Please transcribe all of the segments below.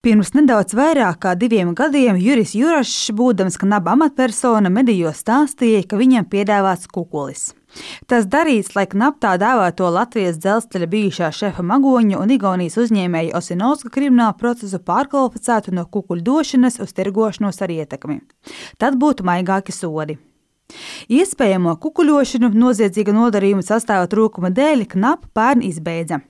Pirms nedaudz vairāk kā 2 gadiem Juris Jurašs, būdams Knaba amatpersona, medijos stāstīja, ka viņam piedāvāts kukulis. Tas darīts, lai Knaba tā dēvēto Latvijas dzelzceļa bijušā šefa Magoņa un Igaunijas uzņēmēja Osinovska kriminālu procesu pārkvalificētu no kukuļu došanas uz tirgošanos ar ietekmi. Tad būtu maigāki sodi. Iespējamo kukuļošanu noziedzīga nodarījuma sastāva trūkuma dēļ Knaba pērn izbeidza.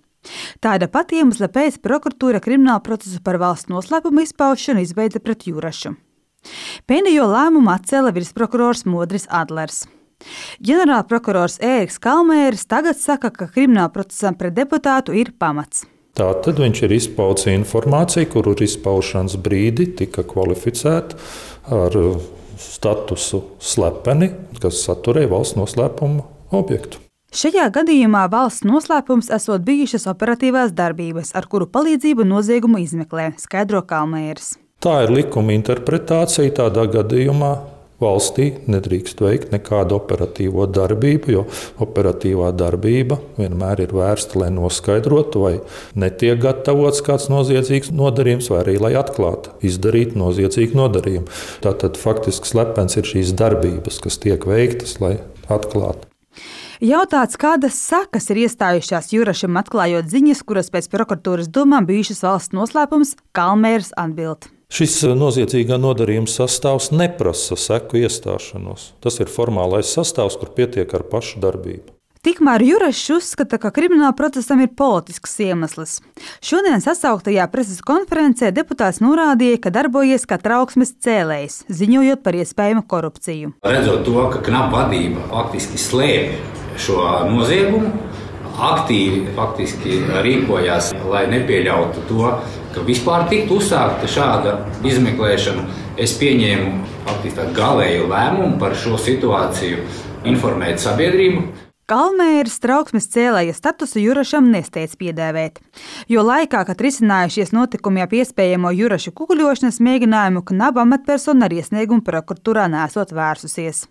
Tāda pati iemesla pēc prokuratūra kriminālu procesu par valsts noslēpumu izpaušanu izbeidza pret Jurašu. Pēdējo lēmumu atcēla virsprokurors Modris Adlers. Ģenerālprokurors Ēriks Kalmēris tagad saka, ka krimināla procesam pret deputātu ir pamats. Tātad viņš ir izpaudis informāciju, kuru izpaušanas brīdi tika kvalificēta ar statusu slepeni, kas saturēja valsts noslēpuma objektu. Šajā gadījumā valsts noslēpums esot bijušas operatīvās darbības, ar kuru palīdzību noziegumu izmeklē, skaidro Kalmēris. Tā ir likuma interpretācija. Tādā gadījumā valstī nedrīkst veikt nekādu operatīvo darbību, jo operatīvā darbība vienmēr ir vērsta, lai noskaidrotu, vai netiek gatavots kāds noziedzīgs nodarījums, vai arī lai atklātu, izdarītu noziedzīgu nodarījumu. Tātad faktiski slepens ir šīs darbības, kas tiek veiktas, lai atklātu. Jautāts, kādas sekas ir iestājušās Jurašam atklājot ziņas, kuras pēc prokuratūras domām bijušas valsts noslēpums, Kalmēris atbild. Šis noziedzīgā nodarījuma sastāvs neprasa seku iestāšanos. Tas ir formālais sastāvs, kur pietiek ar pašu darbību. Tikmēr Jurašs uzskata, ka krimināla procesam ir politisks iemesls. Šodien sasauktajā preses konferencē deputāts norādīja, ka darbojies kā trauksmes cēlējs, ziņojot par iespējamu korupciju. Redzot to, ka Knaba vadība faktiski slēpj šo noziegumu, aktīvi rīkojās, lai nepieļautu to, ka vispār tiktu uzsākta šāda izmeklēšana. Es pieņēmu faktiski tādu galēju lēmumu par šo situāciju informēt sabiedrību. Kalmēris trauksmes cēlēja statusu Jurašam nesteidz piedēvēt, jo laikā, kad risinājušies notikumi ap iespējamo Jurašu kukuļošanas mēģinājumu, Knaba amatpersona ar iesniegumu prokuratūrā nesot vērsusies.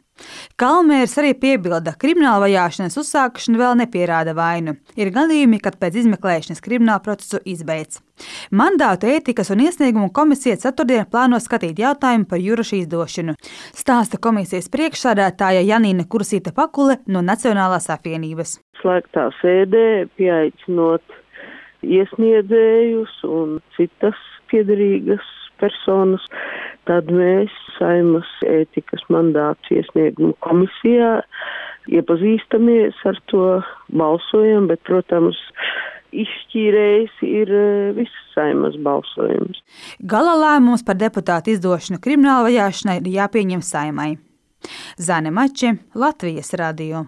Kalmēris arī piebilda, ka krimināla vajāšanas uzsākšana vēl nepierāda vainu. Ir gadījumi, kad pēc izmeklēšanas kriminālu procesu izbeidz. Mandātu ētikas un iesniegumu komisija ceturtdien plāno skatīt jautājumu par Juraša izdošanu, stāsta komisijas priekšsādātāja Janīna Kursīta-Pakule no Nacionālās apvienības. Slēgtā sēdē pieaicinot iesniedzējus un citas piederīgas personas, tad mēs Saeimas ētikas mandātu iesniegumu komisijā iepazīstamies ar to, balsojam, bet, protams, izšķīrējis ir viss Saeimas balsojums. Gala lēmums par deputātu izdošanu krimināla vajāšanai ir jāpieņem Saeimai. Zane Mače, Latvijas radio.